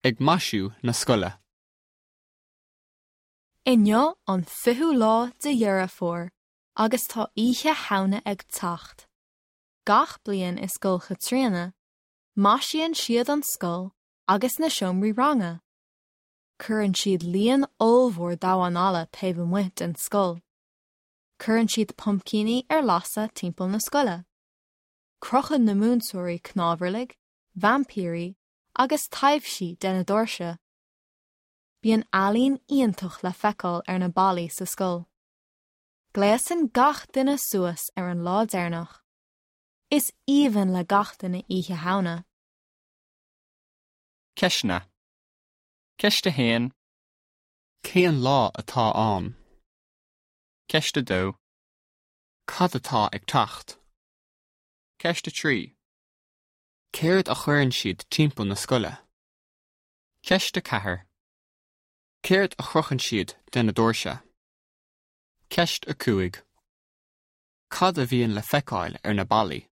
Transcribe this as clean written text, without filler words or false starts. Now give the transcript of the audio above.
Ag maisiú na scoile. Inniu an 20ú lá de Dheireadh Fómhair agus tá Oíche Shamhna ag teacht. Gach bliain i Scoil Chaitríona, maisíonn siad an scoil agus na seomraí ranga. Cuireann siad líon ollmhór damhán alla taobh amuigh den scoil. Cuireann siad puimcíní ar lasadh timpeall na scoile. Crochann na múinteoirí cnámharlaigh, vaimpírí agus taibhsí de na doirse. Bíonn ealaín iontach le feiceáil ar na ballaí sa scoil. Gléasann gach duine suas ar an lá deireanach. Is aoibhinn le gach duine Oíche Shamhna. Ceisteanna. Ceist 1. Cén lá atá ann? Ceist 2. Cad atá ag teacht? Ceist 3. Céard a chuireann siad timpeall na scoile? Ceist 4. Céard a chrochann siad de na doirse? Ceist 5. Cad a bhíonn le feiceáil ar na ballaí?